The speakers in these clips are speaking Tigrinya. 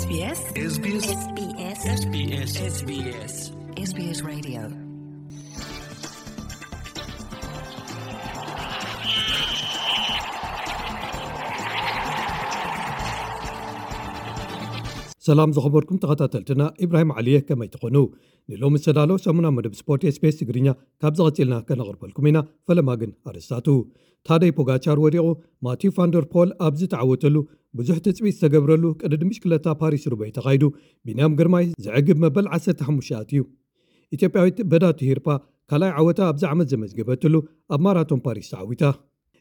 SBS SBS SBS SBS SBS Radio. ሰላም ዝኸበርኩም ተኸታተልትና፣ ኢብራሂም ዓሊየ፣ ከመይ ትኾኑ? ንሎሚ ዝተዳለወ ሰሙና መደብ ስፖርት SBS ትግርኛ ካብ ዝቐጽልና ከነቕርበልኩም ኢና። ፈለማ ግን ኣርእስታቱ። ታደይ ፖጋቻር ወዲቑ፣ ማቲው ፋንደር ፖል ኣብ ዝተዓወተሉ፣ ብዙሕ ትጽቢት ዝተገብረሉ ቅድድም ብሽክለታ ፓሪስ ሩበይ ተኻይዱ፣ ቢንያም ግርማይ ዘዕግብ መበል ዓሰርተ ሓሙሽተ ኣትዩ። ኢትዮጵያዊት በዳቱ ሂርፓ ካልኣይ ዓወታ ኣብዚ ዓመት ዘመዝገበትሉ ኣብ ማራቶን ፓሪስ ተዓዊታ።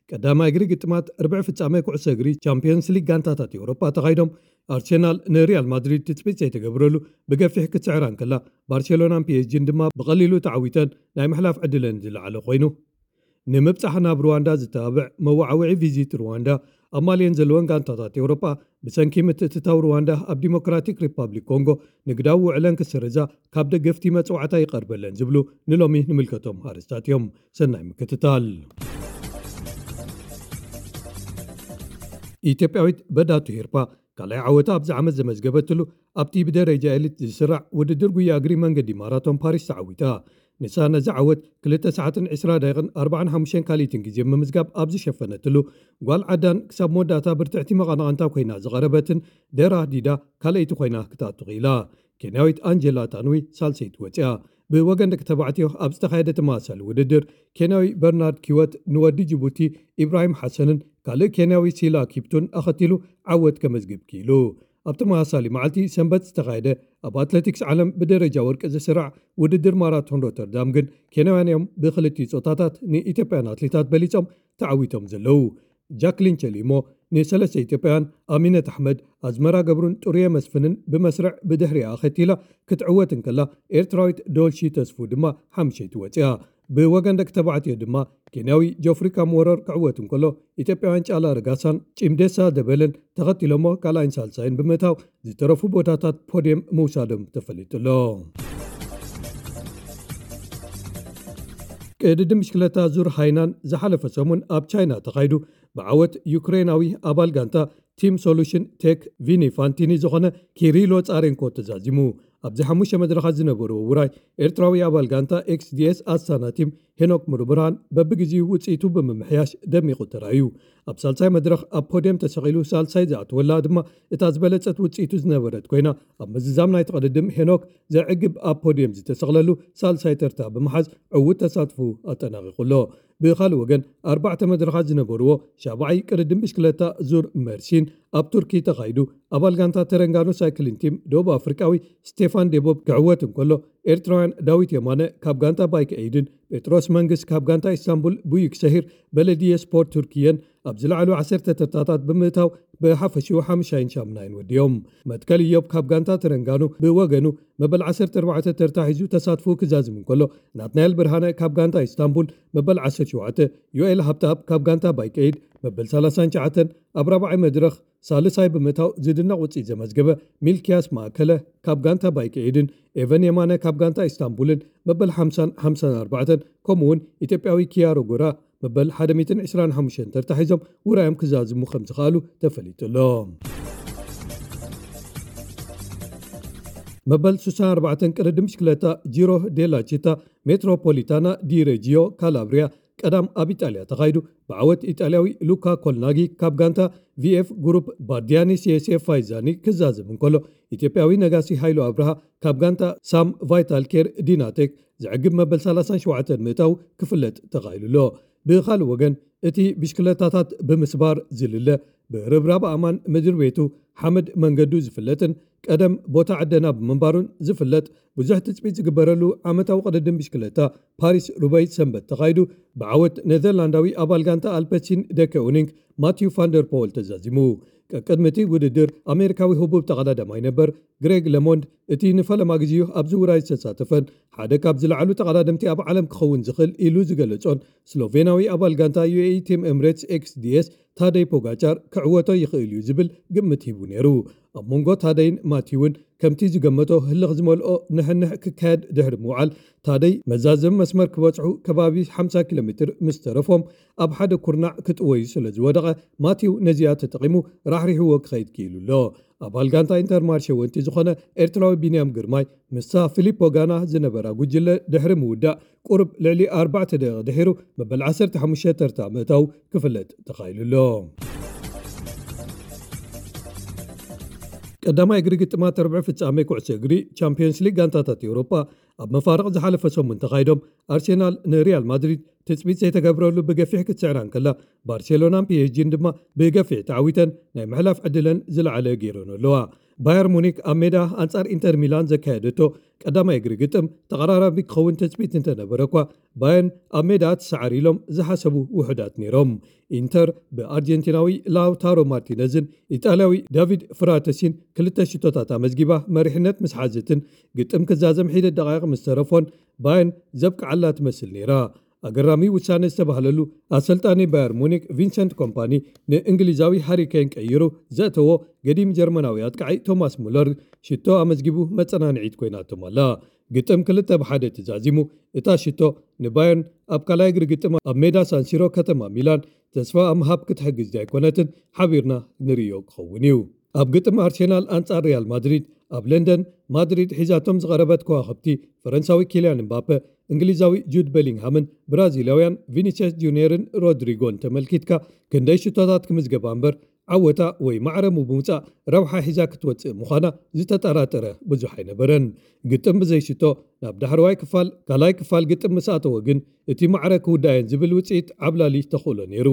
ቀዳማይ እግሪ ግጥማት ርብዒ ፍጻመ ኩዕሶ እግሪ ቻምፒዮንስ ሊግ ጋንታታት ኤውሮጳ ተኻይዶም፣ ኣርሴናል ንሪያል ማድሪድ ትጽቢት ዘይተገብረሉ ብገፊሕ ክትስዕራ እንከላ፣ ባርሴሎናን ፒ ኤስ ጂን ድማ ብቐሊሉ ተዓዊተን ናይ ምሕላፍ ዕድለን ዝለዓለ ኮይኑ። ንምብጻሕ ናብ ሩዋንዳ ዝተባብዕ መወዓውዒ ቪዚት ሩዋንዳ ኣብ ማልየን ዘለወን ጋንታታት ኤውሮጳ ብሰንኪ ምትእትታው ሩዋንዳ ኣብ ዲሞክራቲክ ሪፓብሊክ ኮንጎ ንግዳዊ ውዕለን ክስርዛ ካብ ደገፍቲ መጽዋዕታ ይቐርበለን ዝብሉ ንሎሚ ንምልከቶም ኣርእስታት እዮም። ሰናይ ምክትታል። ኢትዮጵያዊት በዳቱ ሂርፓ ካልኣይ ዓወታ ኣብዚ ዓመት ዘመዝገበትሉ ኣብቲ ብደረጃ ኤሊት ዝስራዕ ውድድር ጉያ እግሪ መንገዲ ማራቶን ፓሪስ ተዓዊታ። ንሳ ነዚ ዓወት ክልተ ሰዓትን ዕስራ ደቂቕን ኣርባዓን ሓሙሽተን ካልኢትን ግዜ ብምምዝጋብ ኣብ ዝሸፈነትሉ፣ ጓል ዓዳን ክሳብ መወዳእታ ብርትዕቲ መቐናቕንታ ኮይና ዝቐረበትን ደራ ዲዳ ካልኣይቲ ኮይና ክትኣቱ ክኢላ። ኬንያዊት ኣንጀላ ታንዊ ሳልሰይቲ ወፂኣ። ብወገን ደቂ ተባዕትዮ ኣብ ዝተኻየደ ተመሳሳሊ ውድድር፣ ኬንያዊ በርናርድ ኪወት ንወዲ ጅቡቲ ኢብራሂም ሓሰንን ካልእ ኬንያዊ ሲላ ኪፕቱን ኣኸቲሉ ዓወት ከመዝግብ ክኢሉ። ኣብ ተመሳሳሊ መዓልቲ ሰንበት ዝተኻየደ ኣብ ኣትሌቲክስ ዓለም ብደረጃ ወርቂ ዝስራዕ ውድድር ማራቶን ሮተርዳም ግን፣ ኬንያውያን እዮም ብክልቲኡ ጾታታት ንኢትዮጵያን ኣትሌታት በሊጾም ተዓዊቶም ዘለዉ። ጃክሊን ቸሊሞ ንሰለስተ ኢትዮጵያውያን፣ ኣሚነት ኣሕመድ፣ ኣዝመራ ገብሩን ጥሩየ መስፍንን ብመስርዕ ብድሕሪኣ ኣኸቲላ ክትዕወት እንከላ፣ ኤርትራዊት ዶልሺ ተስፉ ድማ ሓምሸይቲ ወጺኣ። ብወገን ደቂ ተባዕትዮ ድማ፣ ኬንያዊ ጆፍሪ ካምወረር ክዕወት እንከሎ፣ ኢትዮጵያውያን ጫላ ረጋሳን ጪምዴሳ ደበለን ተኸቲሎሞ ካልኣይን ሳልሳይን ብምእታው፣ ዝተረፉ ቦታታት ፖድየም ምውሳዶም ተፈሊጡ ኣሎ። ቅድድም ብሽክለታ ዙር ሃይናን ዝሓለፈ ሰሙን ኣብ ቻይና ተኻይዱ፣ ብዓወት ዩክሬናዊ ኣባል ጋንታ ቲም ሶሉሽን ቴክ ቪኒ ፋንቲኒ ዝኾነ ኪሪሎ ጻሬንኮ ተዛዚሙ። ኣብዚ ሓሙሽተ መድረኻት ዝነበርዎ ውራይ፣ ኤርትራዊ ኣባል ጋንታ ኤክስዲኤስ ኣስታና ቲም ሄኖክ ሙሉብርሃን በብግዜኡ ውጽኢቱ ብምምሕያሽ ደሚቑ ተራእዩ። ኣብ ሳልሳይ መድረኽ ኣብ ፖድየም ተሰቒሉ ሳልሳይ ዝኣተወላ ድማ እታ ዝበለጸት ውጽኢቱ ዝነበረት ኮይና፣ ኣብ ምዝዛም ናይቲ ቅድድም ሄኖክ ዘዕግብ ኣብ ፖድየም ዝተሰቕለሉ ሳልሳይ ተርታ ብምሓዝ ዕዉት ተሳትፎ ኣጠናቒቑ ኣሎ። ብኻልእ ወገን፣ ኣርባዕተ መድረኻት ዝነበርዎ ሻብዓይ ቅድድም ብሽክለታ ዙር መርሲን ኣብ ቱርኪ ተኻይዱ፣ ኣባል ጋንታ ተረንጋኖ ሳይክሊን ቲም ደቡብ ኣፍሪቃዊ ስቴፋን ዴቦብ ክዕወት እንከሎ፣ ኤርትራውያን ዳዊት የማነ ካብ ጋንታ ባይክ ኤይድን ጴጥሮስ መንግስ ካብ ጋንታ ኢስታንቡል ቡዩክ ሰሂር በለድየ ስፖርት ቱርክየን ኣብ ዝለዓሉ ዓሰርተ ተርታታት ብምእታው ብሓፈሽኡ ሓምሻይን ሻምናይን ወዲዮም። መትከል ኢዮብ ካብ ጋንታ ተረንጋኖ ብወገኑ መበል ዓሰርተ ኣርባዕተ ተርታ ሒዙ ተሳትፎ ክዛዝም እንከሎ፣ ናትናኤል ብርሃነ ካብ ጋንታ ኢስታንቡል መበል ዓሰርተ ሸውዓተ፣ ዮኤል ሃብተኣብ ካብ ጋንታ ባይክ ኤይድ መበል ሰላሳን ትሽዓተን፣ ኣብ ራብዓይ መድረኽ ሳልሳይ ብምእታው ዝድነቕ ውጽኢት ዘመዝገበ ሚልኪያስ ማእከለ ካብ ጋንታ ባይክ ኤይድን ኤቨን የማነ ካብ ጋንታ ኢስታንቡልን መበል ሓምሳን ሓምሳን ኣርባዕተን፣ ከምኡ'ውን ኢትዮጵያዊ ኪያሮ ጎራ መበል ሓደ ሚእትን ዕስራን ሓሙሽተን ተርታ ሒዞም ውራዮም ክዛዝሙ ከም ዝኸኣሉ ተፈሊጡ ኣሎ። መበል ስሳን ኣርባዕተን ቅድድም ብሽክለታ ጂሮ ዴላ ቺታ ሜትሮፖሊታና ዲ ሬጂዮ ካላብሪያ ቀዳም ኣብ ኢጣልያ ተኻይዱ፣ ብዓወት ኢጣልያዊ ሉካ ኮልናጊ ካብ ጋንታ ቪኤፍ ግሩፕ ባርዲያኒ ሲኤስኤፍ ፋይዛኒ ክዛዘም እንከሎ፣ ኢትዮጵያዊ ነጋሲ ሃይሉ ኣብርሃ ካብ ጋንታ ሳም ቫይታል ኬር ዲናቴክ ዘዕግብ መበል ሰላሳን ሸውዓተን ምእታው ክፍለጥ ተኻኢሉ ኣሎ። ብኻልእ ወገን፣ እቲ ብሽክለታታት ብምስባር ዝልለ፣ ብርብራብ ኣማን ምድሪ ቤቱ ሓመድ መንገዱ ዝፍለጥን ቀደም ቦታ ዕደና ብምንባሩን ዝፍለጥ፣ ብዙሕ ትጽቢት ዝግበረሉ ዓመታዊ ቅድድም ብሽክለታ ፓሪስ ሩበይ ሰንበት ተኻይዱ፣ ብዓወት ኔዘርላንዳዊ ኣባል ጋንታ ኣልፐሲን ደከ ኡኒንግ ማቲው ፋንደር ፖል ተዛዚሙ። ቀቅድሚ እቲ ውድድር ኣሜሪካዊ ህቡብ ተቐዳዳማይ ነበር ግሬግ ለሞንድ፣ እቲ ንፈለማ ግዜኡ ኣብዚ ውራይ ዝተሳተፈን ሓደ ካብ ዝለዓሉ ተቐዳደምቲ ኣብ ዓለም ክኸውን ዝኽእል ኢሉ ዝገለጾን ስሎቬናዊ ኣባል ጋንታ ዩኤኢ ቲም ኤምሬትስ ኤክስዲኤስ ታደይ ፖጋቻር ክዕወቶ ይኽእል እዩ ዝብል ግምት ሂቡ ነይሩ። ኣብ መንጎ ታደይን ማቲውን ከምቲ ዝገመቶ ህልኽ ዝመልኦ ንሕንሕ ክካየድ ድሕሪ ምውዓል፣ ታደይ መዛዘሚ መስመር ክበጽሑ ከባቢ ሓምሳ ኪሎ ሜትር ምስ ተረፎም፣ ኣብ ሓደ ኩርናዕ ክጥወዩ ስለ ዝወደቐ፣ ማቲው ነዚኣ ተጠቒሙ ራሕሪሕዎ ክኸይድ ክኢሉ ኣሎ። ኣባል ጋንታ ኢንተርማርሸ ወንቲ ዝኾነ ኤርትራዊ ቢንያም ግርማይ፣ ምስታ ፊሊፖ ጋና ዝነበራ ጉጅለ ድሕሪ ምውዳእ፣ ቁሩብ ልዕሊ ኣርባዕተ ደቂቕ ድሒሩ፣ መበል ዓሰርተ ሓሙሽተ ተርታ ምእታው ክፍለጥ ተኻኢሉ ኣሎ። ቀዳማይ እግሪ ግጥማት ርብዒ ፍጻሜ ኩዕሶ እግሪ ቻምፒዮንስ ሊግ ጋንታታት ኤውሮጳ፣ ኣብ መፋርቕ ዝሓለፈ ሰሙን ተኻይዶም፣ ኣርሴናል ንሪያል ማድሪድ ትጽቢት ዘይተገብረሉ ብገፊሕ ክትስዕራ እንከላ፣ ባርሴሎናን ፒ ኤስ ጂን ድማ ብገፊሕ ተዓዊተን ናይ ምሕላፍ ዕድለን ዝለዓለ ገይረን ኣለዋ። ባየር ሙኒክ ኣብ ሜዳ ኣንጻር ኢንተር ሚላን ዘካየደቶ ቀዳማይ እግሪ ግጥም ተቐራራቢ ክኸውን ትጽቢት እንተነበረ እኳ፣ ባየርን ኣብ ሜዳ ትሰዓር ኢሎም ዝሓሰቡ ውሑዳት ነይሮም። ኢንተር ብኣርጀንቲናዊ ላውታሮ ማርቲነዝን ኢጣልያዊ ዳቪድ ፍራተሲን ክልተ ሽቶታት ኣመዝጊባ መሪሕነት ምስ ሓዘትን፣ ግጥም ክዛዘም ሒደት ደቃይቕ ምስ ተረፎን፣ ባየርን ዘብቅዓላ ትመስል ነይራ። ኣገራሚ ውሳነ ዝተባህለሉ፣ ኣሰልጣኒ ባየር ሙኒክ ቪንሰንት ኮምፓኒ ንእንግሊዛዊ ሃሪ ኬን ቀይሩ ዘእተዎ ገዲም ጀርመናዊ ኣጥቃዒ ቶማስ ሙለር ሽቶ ኣመዝጊቡ መጸናንዒት ኮይናቶም ኣላ። ግጥም ክልተ ብሓደ ተዛዚሙ፣ እታ ሽቶ ንባየርን ኣብ ካልኣይ እግሪ ግጥም ኣብ ሜዳ ሳንሲሮ ከተማ ሚላን ተስፋ ኣብ ምሃብ ክትሕግዝ ኣይኮነትን፣ ሓቢርና ንርእዮ ክኸውን እዩ። ኣብ ግጥም ኣርሴናል ኣንጻር ሪያል ማድሪድ ኣብ ለንደን፣ ማድሪድ ሒዛቶም ዝቐረበት ከዋኽብቲ ፈረንሳዊ ኪልያን ምባፔ፣ እንግሊዛዊ ጁድ ቤሊንግሃምን ብራዚላውያን ቪኒሲየስ ጁኒየርን ሮድሪጎን ተመልኪትካ፣ ክንደይ ሽቶታት ክምዝገባ እምበር ዓወታ ወይ ማዕረ ብምውጻእ ረብሓ ሒዛ ክትወጽእ ምዃና ዝተጠራጠረ ብዙሕ ኣይነበረን። ግጥም ብዘይ ሽቶ ናብ ዳሕረዋይ ክፋል፣ ካልኣይ ክፋል ግጥም ምስ ኣተወ ግን፣ እቲ ማዕረ ክውዳእን ዝብል ውጽኢት ዓብላሊ ተኽእሎ ነይሩ።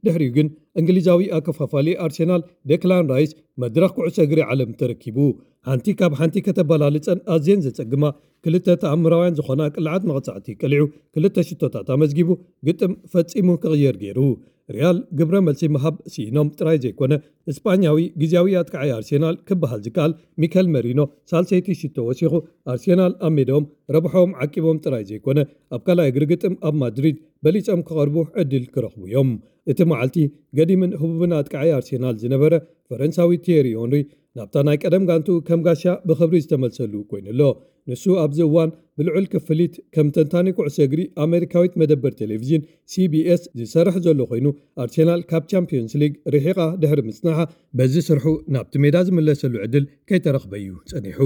ድሕሪኡ ግን እንግሊዛዊ ኣከፋፋሊ ኣርሴናል ዴክላን ራይስ መድረኽ ኩዕሶ እግሪ ዓለም ተረኪቡ። ሓንቲ ካብ ሓንቲ ከተበላልጸን ኣዝየን ዘጸግማ ክልተ ተኣምራውያን ዝኾና ቅልዓት መቕጻዕቲ ቀሊዑ ክልተ ሽቶታት ኣመዝጊቡ ግጥም ፈጺሙ ክቕየር ገይሩ። ሪያል ግብረ መልሲ ምሃብ ስኢኖም ጥራይ ዘይኮነ፣ እስጳኛዊ ግዝያዊ ኣጥቃዒ ኣርሴናል ክበሃል ዝከኣል ሚከል መሪኖ ሳልሰይቲ ሽቶ ወሲኹ፣ ኣርሴናል ኣብ ሜዳኦም ረብሖም ዓቂቦም ጥራይ ዘይኮነ፣ ኣብ ካልኣይ እግሪ ግጥም ኣብ ማድሪድ በሊጾም ክቐርቡ ዕድል ክረኽቡ እዮም። እቲ መዓልቲ ገዲምን ህቡብን ኣጥቃዒ ኣርሴናል ዝነበረ ፈረንሳዊ ቲየሪ ኦንሪ ናብታ ናይ ቀደም ጋንቱ ከም ጋሻ ብኽብሪ ዝተመልሰሉ ኮይኑ ኣሎ። ንሱ ኣብዚ እዋን ብልዑል ክፍሊት ከም ተንታኒ ኩዕሶ እግሪ ኣሜሪካዊት መደበር ቴሌቪዥን ሲ ቢ ኤስ ዝሰርሕ ዘሎ ኮይኑ፣ ኣርሴናል ካብ ቻምፒዮንስ ሊግ ርሒቓ ድሕሪ ምጽናሓ፣ በዚ ስርሑ ናብቲ ሜዳ ዝምለሰሉ ዕድል ከይተረኽበ እዩ ጸኒሑ።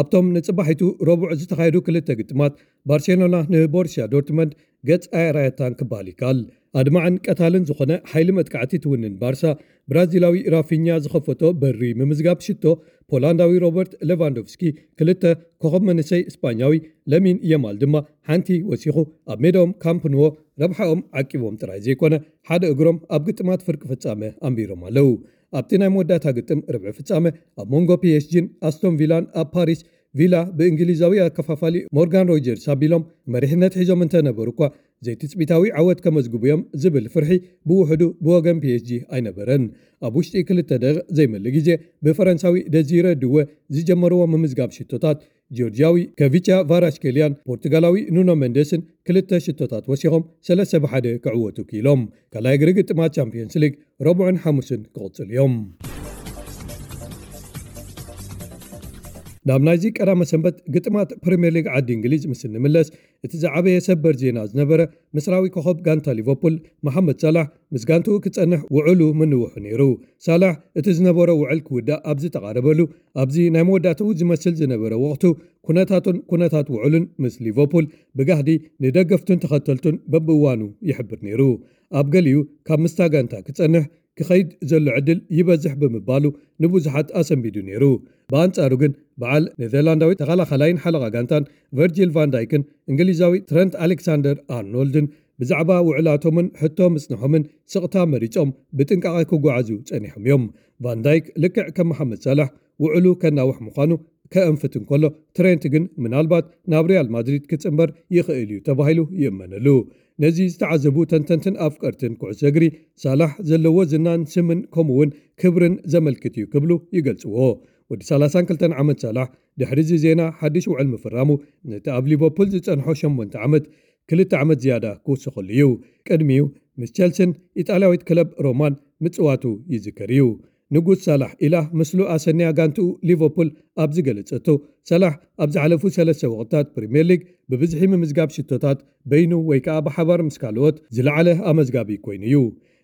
ኣብቶም ንጽባሒቱ ረቡዕ ዝተኻየዱ ክልተ ግጥማት፣ ባርሴሎና ንቦርሲያ ዶርትመንድ ገጽ ኣየራየታን ክበሃል ይከኣል። ኣድማዕን ቀታልን ዝኾነ ሓይሊ መጥቃዕቲ ትውንን ባርሳ፣ ብራዚላዊ ራፊኛ ዝኸፈቶ በሪ ምምዝጋብ ሽቶ፣ ፖላንዳዊ ሮበርት ሌቫንዶቭስኪ ክልተ፣ ኮኸብ መንእሰይ እስጳኛዊ ለሚን የማል ድማ ሓንቲ ወሲኹ፣ ኣብ ሜዳኦም ካምፕ ኑዎ ረብሓኦም ዓቂቦም ጥራይ ዘይኮነ፣ ሓደ እግሮም ኣብ ግጥማት ፍርቂ ፍጻመ ኣንቢሮም ኣለዉ። ኣብቲ ናይ መወዳእታ ግጥም ርብዒ ፍጻመ፣ ኣብ መንጎ ፒ ኤስ ጂን ኣስቶን ቪላን ኣብ ፓሪስ፣ ቪላ ብእንግሊዛዊ ኣከፋፋሊ ሞርጋን ሮጀርስ ኣቢሎም መሪሕነት ሒዞም እንተነበሩ እኳ፣ ዘይትጽቢታዊ ዓወት ከመዝግቡ እዮም ዝብል ፍርሒ ብውሕዱ ብወገን ፒ ኤስ ጂ ኣይነበረን። ኣብ ውሽጢ ክልተ ደቂቕ ዘይመልእ ግዜ፣ ብፈረንሳዊ ደዚረ ድወ ዝጀመርዎ ምምዝጋብ ሽቶታት፣ ጆርጂያዊ ከቪቻ ቫራሽኬልያን ፖርቱጋላዊ ኑኖ ሜንዴስን ክልተ ሽቶታት ወሲኾም ሰለስተ ብሓደ ክዕወቱ ክኢሎም። ካልኣይ እግሪ ግጥማት ቻምፒዮንስ ሊግ ረቡዕን ሓሙስን ክቕጽሉ እዮም። ናብ ናይዚ ቀዳመ ሰንበት ግጥማት ፕሪምየር ሊግ ዓዲ እንግሊዝ ምስ እንምለስ፣ እቲ ዝዓበየ ሰበር ዜና ዝነበረ፣ ምስራዊ ኮኸብ ጋንታ ሊቨርፑል መሓመድ ሳላሕ ምስ ጋንትኡ ክጸንሕ ውዕሉ ምንውሑ ነይሩ። ሳላሕ እቲ ዝነበሮ ውዕል ክውዳእ ኣብ ዝተቓረበሉ፣ ኣብዚ ናይ መወዳእትኡ ዝመስል ዝነበረ ወቕቱ፣ ኩነታቱን ኩነታት ውዕሉን ምስ ሊቨርፑል ብጋህዲ ንደገፍቱን ተኸተልቱን በብእዋኑ ይሕብር ነይሩ። ኣብ ገሊኡ ካብ ምስታ ጋንታ ክጸንሕ ክኸይድ ዘሎ ዕድል ይበዝሕ ብምባሉ ንብዙሓት ኣሰንቢዱ ነይሩ። ብኣንጻሩ ግን በዓል ኔዘርላንዳዊ ተኸላኻላይን ሓለቓ ጋንታን ቨርጂል ቫን ዳይክን እንግሊዛዊ ትረንት ኣሌክሳንደር ኣርኖልድን ብዛዕባ ውዕላቶምን ሕቶ ምጽንሖምን ስቕታ መሪጾም ብጥንቃቐ ክጓዓዙ ጸኒሖም እዮም። ቫን ዳይክ ልክዕ ከም መሓመድ ሳላሕ ውዕሉ ከናውሕ ምዃኑ ከእንፍት እንከሎ፣ ትሬንት ግን ምናልባት ናብ ሪያል ማድሪድ ክጽንበር ይኽእል እዩ ተባሂሉ ይእመነሉ። ነዚ ዝተዓዘቡ ተንተንትን ኣፍቀርትን ኩዕሶ እግሪ፣ ሳላሕ ዘለዎ ዝናን ስምን ከምኡውን ክብርን ዘመልክት እዩ ክብሉ ይገልጽዎ። ወዲ ሰላሳን ክልተን ዓመት ሳላሕ ድሕሪ እዚ ዜና ሓድሽ ውዕል ምፍራሙ፣ ነቲ ኣብ ሊቨርፑል ዝጸንሖ ሸሞንተ ዓመት ክልተ ዓመት ዝያዳ ክውስኸሉ እዩ። ቅድሚኡ ምስ ቸልሲን ኢጣልያዊት ክለብ ሮማን ምጽዋቱ ይዝከር እዩ። ንጉስ ሳላሕ ኢላ ምስሉ ኣሰንያ ጋንትኡ ሊቨርፑል ኣብ ዝገለጸቶ፣ ሳላሕ ኣብ ዝሓለፉ ሰለስተ ወቕታት ፕሪምየር ሊግ ብብዝሒ ምምዝጋብ ሽቶታት በይኑ ወይ ከኣ ብሓባር ምስ ካልኦት ዝለዓለ ኣመዝጋቢ ኮይኑ እዩ።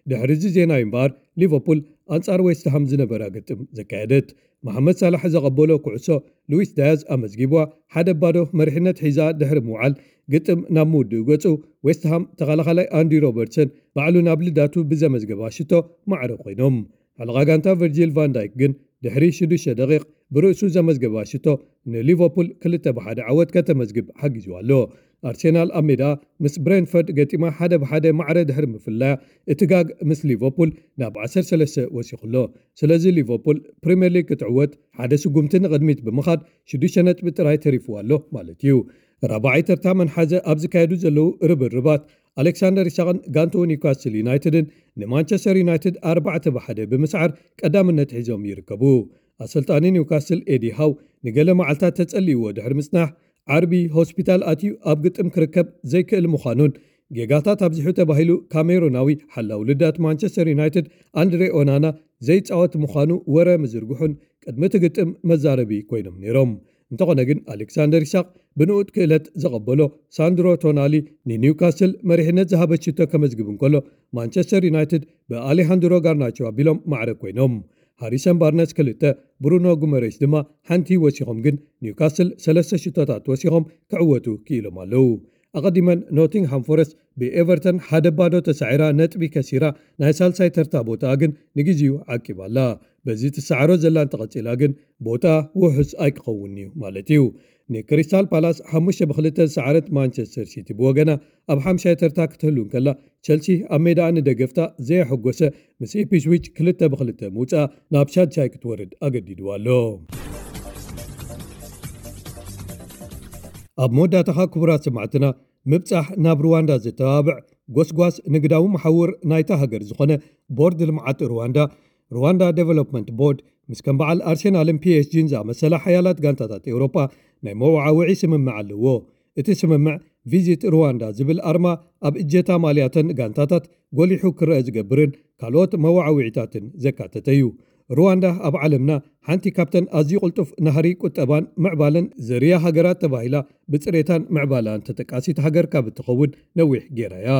ድሕሪ እዚ ዜና እዩ እምበኣር፣ ሊቨርፑል ኣንጻር ዌስትሃም ዝነበራ ግጥም ዘካየደት። መሓመድ ሳላሕ ዘቐበሎ ኩዕሶ ሉዊስ ዳያዝ ኣመዝጊብዋ፣ ሓደ ባዶ መሪሕነት ሒዛ ድሕሪ ምውዓል፣ ግጥም ናብ ምውድኡ ገጹ፣ ዌስትሃም ተኸላኻላይ ኣንዲ ሮበርትሰን ባዕሉ ናብ ልዳቱ ብዘመዝገባ ሽቶ ማዕረ ኮይኖም። ሓለቓ ጋንታ ቨርጂል ቫን ዳይክ ግን ድሕሪ ሽዱሽተ ደቂቕ ብርእሱ ዘመዝገባ ሽቶ ንሊቨርፑል ክልተ ብሓደ ዓወት ከተመዝግብ ሓጊዝዋ ኣሎ። ኣርሴናል ኣብ ሜዳ ምስ ብሬንፈርድ ገጢማ ሓደ ብሓደ ማዕረ ድሕሪ ምፍላያ፣ እቲ ጋግ ምስ ሊቨርፑል ናብ ዓሰርተ ሰለስተ ወሲኹ ኣሎ። ስለዚ ሊቨርፑል ፕሪምየር ሊግ ክትዕወት ሓደ ስጉምቲ ንቕድሚት ብምኻድ ሽዱሽተ ነጥቢ ጥራይ ተሪፍዋ ኣሎ ማለት እዩ። ራብዓይ ተርታ መንሓዘ ኣብ ዝካየዱ ዘለዉ ርብርባት፣ ኣሌክሳንደር ኢሳቕን ጋንትኡ ኒውካስትል ዩናይትድን ንማንቸስተር ዩናይትድ ኣርባዕተ ብሓደ ብምስዓር ቀዳምነት ሒዞም ይርከቡ። ኣሰልጣኒ ኒውካስትል ኤዲ ሃው ንገለ መዓልታት ተጸልይዎ ድሕሪ ምጽናሕ፣ ዓርቢ ሆስፒታል ኣትዩ ኣብ ግጥም ክርከብ ዘይክእል ምዃኑን፣ ጌጋታት ኣብዚሑ ተባሂሉ ካሜሩናዊ ሓላው ልዳት ማንቸስተር ዩናይትድ ኣንድሬ ኦናና ዘይጻወት ምዃኑ ወረ ምዝርግሑን ቅድሚ እቲ ግጥም መዛረቢ ኮይኖም ነይሮም። እንተኾነ ግን፣ ኣሌክሳንደር ኢሳቕ ብንኡድ ክእለት ዘቐበሎ ሳንድሮ ቶናሊ ንኒውካስል መሪሕነት ዝሃበት ሽቶ ከመዝግብ እንከሎ፣ ማንቸስተር ዩናይትድ ብኣሌሃንድሮ ጋርናቾ ኣቢሎም ማዕረ ኮይኖም። ሃሪሰን ባርነስ ክልተ፣ ብሩኖ ጉመሬሽ ድማ ሓንቲ ወሲኾም፣ ግን ኒውካስል ሰለስተ ሽቶታት ወሲኾም ክዕወቱ ክኢሎም ኣለዉ። ኣቐዲመን ኖቲንግሃም ፎረስት ብኤቨርተን ሓደ ባዶ ተሳዒራ ነጥቢ ከሲራ፣ ናይ ሳልሳይ ተርታ ቦታኣ ግን ንግዜኡ ዓቂባ ኣላ። በዚ ትሰዓሮ ዘላ እንተቐጺላ ግን፣ ቦታኣ ውሑስ ኣይክኸውን እዩ ማለት እዩ። ንክሪስታል ፓላስ ሓሙሽተ ብክልተ ዝሰዓረት ማንቸስተር ሲቲ ብወገና ኣብ ሓምሻይ ተርታ ክትህሉ እንከላ፣ ቸልሲ ኣብ ሜዳኣ ንደገፍታ ዘየሐጎሰ ምስ ኢፕስዊች ክልተ ብክልተ ምውጻኣ ናብ ሻድሻይ ክትወርድ ኣገዲድዋ ኣሎ። ኣብ መወዳእታኻ ክቡራት ሰማዕትና፣ ምብጻሕ ናብ ሩዋንዳ ዘተባብዕ ጎስጓስ ንግዳዊ መሓውር ናይታ ሃገር ዝኾነ ቦርድ ልምዓት ሩዋንዳ፣ ሩዋንዳ ዴቨሎፕመንት ቦርድ፣ ምስ ከም በዓል ኣርሴናልን ፒ ኤስ ጂን ዝኣመሰላ ሓያላት ጋንታታት ኤውሮጳ ናይ መወዓውዒ ስምምዕ ኣለዎ። እቲ ስምምዕ ቪዚት ሩዋንዳ ዝብል ኣርማ ኣብ እጀታ ማልያተን ጋንታታት ጎሊሑ ክረአ ዝገብርን ካልኦት መወዓውዒታትን ዘካተተ እዩ። ሩዋንዳ ኣብ ዓለምና ሓንቲ ካብተን ኣዝዩ ቅልጡፍ ናህሪ ቁጠባን ምዕባለን ዘርያ ሃገራት ተባሂላ፣ ብጽሬታን ምዕባላን ተጠቃሲት ሃገር ካብ እትኸውን ነዊሕ ጌራ እያ።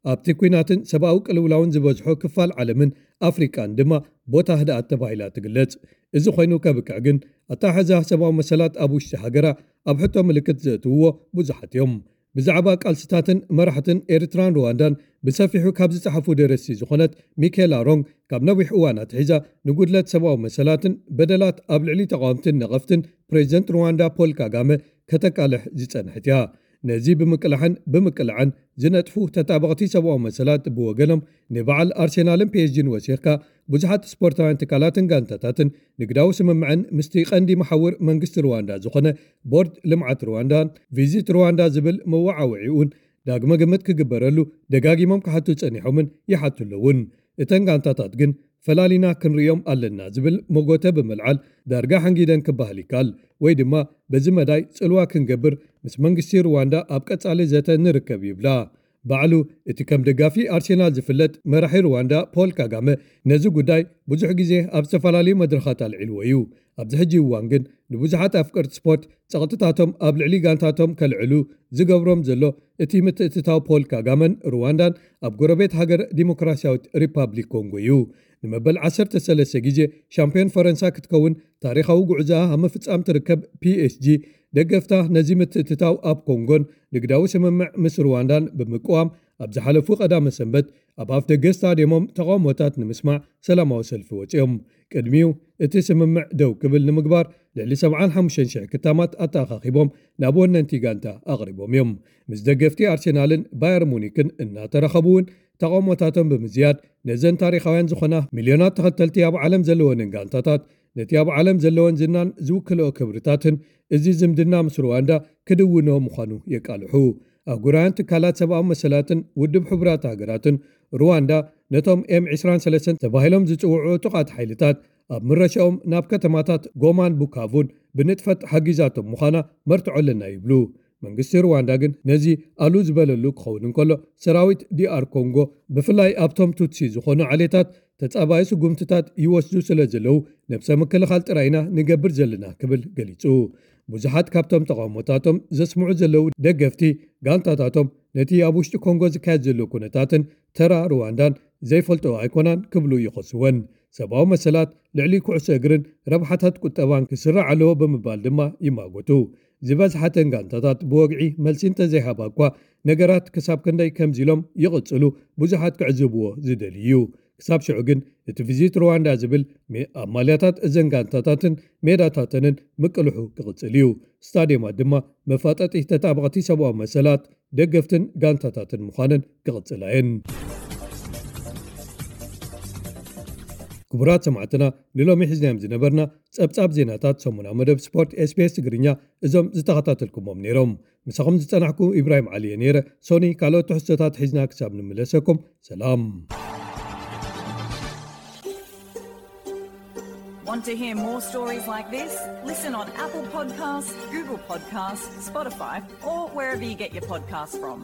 ኣብቲ ኲናትን ሰብኣዊ ቅልውላውን ዝበዝሖ ክፋል ዓለምን ኣፍሪቃን ድማ ቦታ ህድኣት ተባሂላ ትግለጽ። እዚ ኮይኑ ከብቅዕ ግን፣ ኣተሓሕዛ ሰብኣዊ መሰላት ኣብ ውሽጢ ሃገራ ኣብ ሕቶ ምልክት ዘእትውዎ ብዙሓት እዮም። ብዛዕባ ቃልስታትን መራሕትን ኤርትራን ሩዋንዳን ብሰፊሑ ካብ ዝጸሓፉ ደረስቲ ዝኾነት ሚኬላ ሮንግ፣ ካብ ነዊሕ እዋን ኣትሒዛ ንጉድለት ሰብኣዊ መሰላትን በደላት ኣብ ልዕሊ ተቓወምትን ነቐፍትን ፕሬዚደንት ሩዋንዳ ፖል ካጋመ ከተቃልሕ ዝጸንሐት እያ። ነዚ ብምቅላሕን ብምቅላዕን ዝነጥፉ ተጣበቕቲ ሰብኣዊ መሰላት ብወገኖም፣ ንበዓል ኣርሴናልን ፒ ኤስ ጂን ወሲኽካ፣ ብዙሓት ስፖርታውያን ትካላትን ጋንታታትን ንግዳዊ ስምምዕን ምስቲ ቀንዲ መሓውር መንግስቲ ሩዋንዳ ዝኾነ ቦርድ ልምዓት ሩዋንዳን ቪዚት ሩዋንዳ ዝብል መወዓውዒኡን ዳግመ ግምት ክግበረሉ ደጋጊሞም ክሓቱ ጸኒሖምን ይሓቱ ኣለውን። እተን ጋንታታት ግን፣ ፈላሊና ክንርእዮም ኣለና ዝብል መጎተ ብምልዓል፣ ዳርጋ ሓንጊደን ክበሃል ይከኣል፣ ወይ ድማ በዚ መዳይ ጽልዋ ክንገብር ምስ መንግስቲ ሩዋንዳ ኣብ ቀጻሊ ዘተ ንርከብ ይብላ። ባዕሉ እቲ ከም ደጋፊ ኣርሴናል ዝፍለጥ መራሒ ሩዋንዳ ፖል ካጋመ፣ ነዚ ጉዳይ ብዙሕ ግዜ ኣብ ዝተፈላለዩ መድረኻት ኣልዒልዎ እዩ። ኣብዚ ሕጂ እዋን ግን፣ ንብዙሓት ኣፍቀርቲ ስፖርት ጸቕጥታቶም ኣብ ልዕሊ ጋንታቶም ከልዕሉ ዝገብሮም ዘሎ እቲ ምትእትታው ፖል ካጋመን ሩዋንዳን ኣብ ጎረቤት ሃገር ዲሞክራሲያዊት ሪፓብሊክ ኮንጎ እዩ። ንመበል ዓሰርተ ሰለስተ ግዜ ሻምፒዮን ፈረንሳ ክትከውን ታሪኻዊ ጉዕዞኣ ኣብ ምፍጻም ትርከብ ፒ ኤስ ጂ፣ ደገፍታ ነዚ ምትእትታው ኣብ ኮንጎን ንግዳዊ ስምምዕ ምስ ሩዋንዳን ብምቅዋም፣ ኣብ ዝሓለፉ ቀዳመ ሰንበት ኣብ ኣፍ ደገ ስታድየሞም ተቓውሞታት ንምስማዕ ሰላማዊ ሰልፊ ወጺኦም። ቅድሚኡ፣ እቲ ስምምዕ ደው ክብል ንምግባር ልዕሊ ሰብዓን ሓሙሽተን ሽሕ ክታማት ኣተኣኻኺቦም ናብ ወነንቲ ጋንታ ኣቕሪቦም እዮም። ምስ ደገፍቲ ኣርሴናልን ባየር ሙኒክን እናተራኸቡ እውን፣ ተቓውሞታቶም ብምዝያድ፣ ነዘን ታሪኻውያን ዝኾና ሚልዮናት ተኸተልቲ ኣብ ዓለም ዘለወንን ጋንታታት፣ ነቲ ኣብ ዓለም ዘለወን ዝናን ዝውክልኦ ክብርታትን፣ እዚ ዝምድና ምስ ሩዋንዳ ክድውኖ ምዃኑ የቃልሑ። ኣህጉራውያን ትካላት ሰብኣዊ መሰላትን ውድብ ሕቡራት ሃገራትን፣ ሩዋንዳ ነቶም ኤም ዕስራን ሰለስተን ተባሂሎም ዝጽውዑ ዕጡቓት ሓይልታት ኣብ ምረሻኦም ናብ ከተማታት ጎማን ቡካቡን ብንጥፈት ሓጊዛቶም ምዃና መርትዖ ኣለና ይብሉ። መንግስቲ ሩዋንዳ ግን፣ ነዚ ኣሉ ዝበለሉ ክኸውን እንከሎ፣ ሰራዊት ዲ ኣር ኮንጎ፣ ብፍላይ ኣብቶም ቱትሲ ዝኾኑ ዓሌታት፣ ተጻባኢ ስጉምትታት ይወስዱ ስለ ዘለዉ፣ ነብሰ ምክልኻል ጥራይ ኢና ንገብር ዘለና ክብል ገሊጹ። ብዙሓት ካብቶም ተቓውሞታቶም ዘስምዑ ዘለዉ ደገፍቲ፣ ጋንታታቶም ነቲ ኣብ ውሽጢ ኮንጎ ዝካየድ ዘሎ ኩነታትን ተራ ሩዋንዳን ዘይፈልጦ ኣይኮናን ክብሉ ይኸስወን። ሰብኣዊ መሰላት፣ ልዕሊ ኩዕሶ እግርን ረብሓታት ቁጠባን ክስራዕ ኣለዎ ብምባል ድማ ይማጎቱ። ዝበዝሓተን ጋንታታት ብወግዒ መልሲ እንተዘይሃባ እኳ፣ ነገራት ክሳብ ክንደይ ከምዚሎም ይቕጽሉ ብዙሓት ክዕዝብዎ ዝደልዩ እዩ። ክሳብ ሽዑ ግን እቲ ቪዚት ሩዋንዳ ዝብል ሜ-፣ ኣብ ማልያታት እዘን ጋንታታትን ሜዳታተንን ምቅልሑ ክቕጽል እዩ። ስታዲየማት ድማ መፋጠጢ ተጣበቕቲ ሰብኣዊ መሰላት፣ ደገፍትን ጋንታታትን ምዃነን ክቕጽላ እየን። ክቡራት ሰማዕትና፣ ንሎሚ ሒዝናዮም ዝነበርና ጸብጻብ ዜናታት ሰሙናዊ መደብ ስፖርት ኤስቢኤስ ትግርኛ እዞም ዝተኸታተልኩሞም ነይሮም። ምሳኹም ዝጸናሕኩ ኢብራሂም ዓሊ እየ ነይረ። ሶኒ ካልኦት ትሕዝቶታት ሒዝና ክሳብ ንምለሰኩም፣ ሰላም። Want to hear more stories like this? Listen on Apple Podcasts, Google Podcasts, Spotify, or wherever you get your podcasts from.